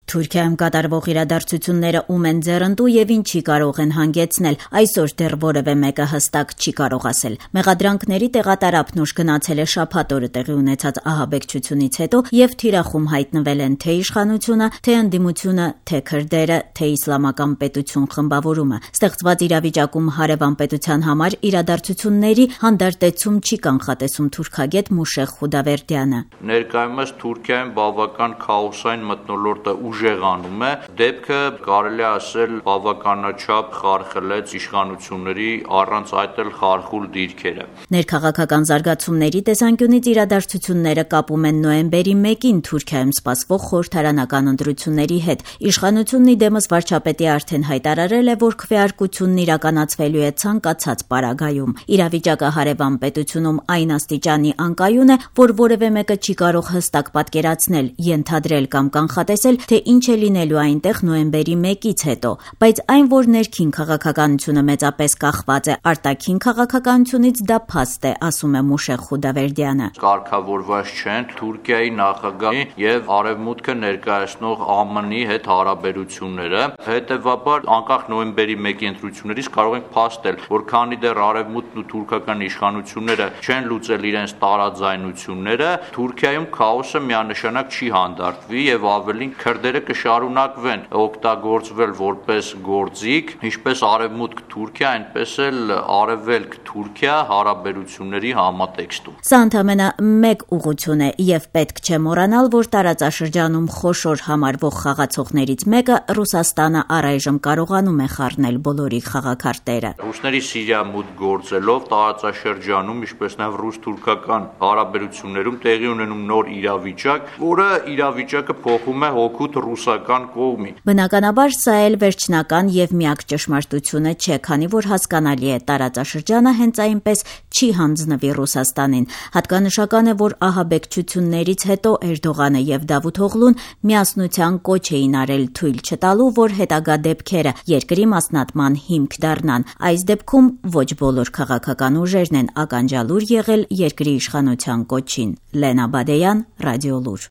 Թուրքիայում կատարվող իրադարձությունները ում են ձեռնտու եւ ինչի կարող են հանգեցնել, այսօր դեռ որևէ մեկը հստակ չի կարող ասել։ Մեղադրանքների տեղատարափն ուշ գնացել է շաբաթ օրը տեղի ունեցած ահաբեկչությունից հետո եւ թիրախում հայտնվել են թե իշխանությունը, թե ընդդիմությունը, թե քրդերը, թե իսլամական պետություն խմբավորումը։ Ստեղծված իրավիճակում հարևան պետության համար իրադարձությունների հանդարտեցում չի կանխատեսում թուրքագետ Մուշեղ Խուդավերդյանը։ Ներկայումս Թուրքիայում բավական քաոսային մթնոլորտը ուժեղանում է, դեպքը կարելի է ասել բավականաչափ խարխլեց իշխանությունների առանց այդ էլ խարխուլ դիրքերը։ Ներքաղաքական զարգացումների տեսանկյունից իրադարձությունները կապում են նոյեմբերի 1-ին Թուրքիայում սպասվող խորհրդարանական ընտրությունների հետ։ Իշխանությունն իդեմս վարչապետի արդեն հայտարարել է, որ քվեարկությունն իրականացվելու է ցանկացած պարագայում։ Իրավիճակը հարևան պետությունում այն աստիճանի անկայուն է, որ որևէ մեկը չի կարող հստակ պատկերացնել, ենթադրել կամ կանխատեսել, թե ինչ է լինելու այնտեղ նոյեմբերի 1-ից հետո, բայց այն, որ ներքին քաղաքականությունը մեծապես կախված է արտաքին քաղաքականությունից, դա փաստ է, ասում է Մուշեղ Խուդավերդյանը։ Կարգավորված չեն Թուրքիայի նախագահի եւ արևմուտքը ներկայացնող ԱՄՆ-ի հետ հարաբերությունները, հետեւաբար անկախ նոյեմբերի 1-ի ընտրություններից կարող ենք փաստել, որ քանի դեռ արևմուտքն ու թուրքական իշխանությունները չեն լուծել իրենց տարաձայնությունները, Թուրքիայում քաոսը միանշանակ չի հանդարտվի եւ ավելին քրդերը կշարունակվեն օգտագործվել որպես գործիք, ինչպես արևմուտք Թուրքիա, այնպես էլ արևելք Թուրքիա հարաբերությունների համատեքստում։ Սա ընդամենը մեկ ուղղություն է եւ պետք չէ մոռանալ, որ տարածաշրջանում խոշոր համարվող խաղացողներից մեկը Ռուսաստանը առայժմ կարողանում է խառնել բոլորի խաղաքարտերը։ Ռուսների Սիրիա մուտք գործելով տարածաշրջանում, ինչպես նաեւ ռուս-թուրքական հարաբերություններում տեղի ունենում նոր իրավիճակ, որը իրավիճակը փոխում է հօգուտ ռուսական կողմի։ Բնականաբար սա էլ վերջնական եւ միակ ճշմարտությունը չէ, քանի որ հասկանալի է տարածաշրջանը հենց այնպես չի հանձնվի Ռուսաստանին։ Հատկանշական է, որ ահաբեկչություններից հետո Էրդողանը եւ Դավութ Օղլուն միասնության կոչ էին արել թույլ չտալու, որ հետագա դեպքերը երկրի մասնատման հիմք դառնան։ Այս դեպքում ոչ բոլոր քաղաքական ուժերն են ականջալուր եղել երկրի իշխանության կոչին։ Լենա Բադեյան, Ռադիոլուր։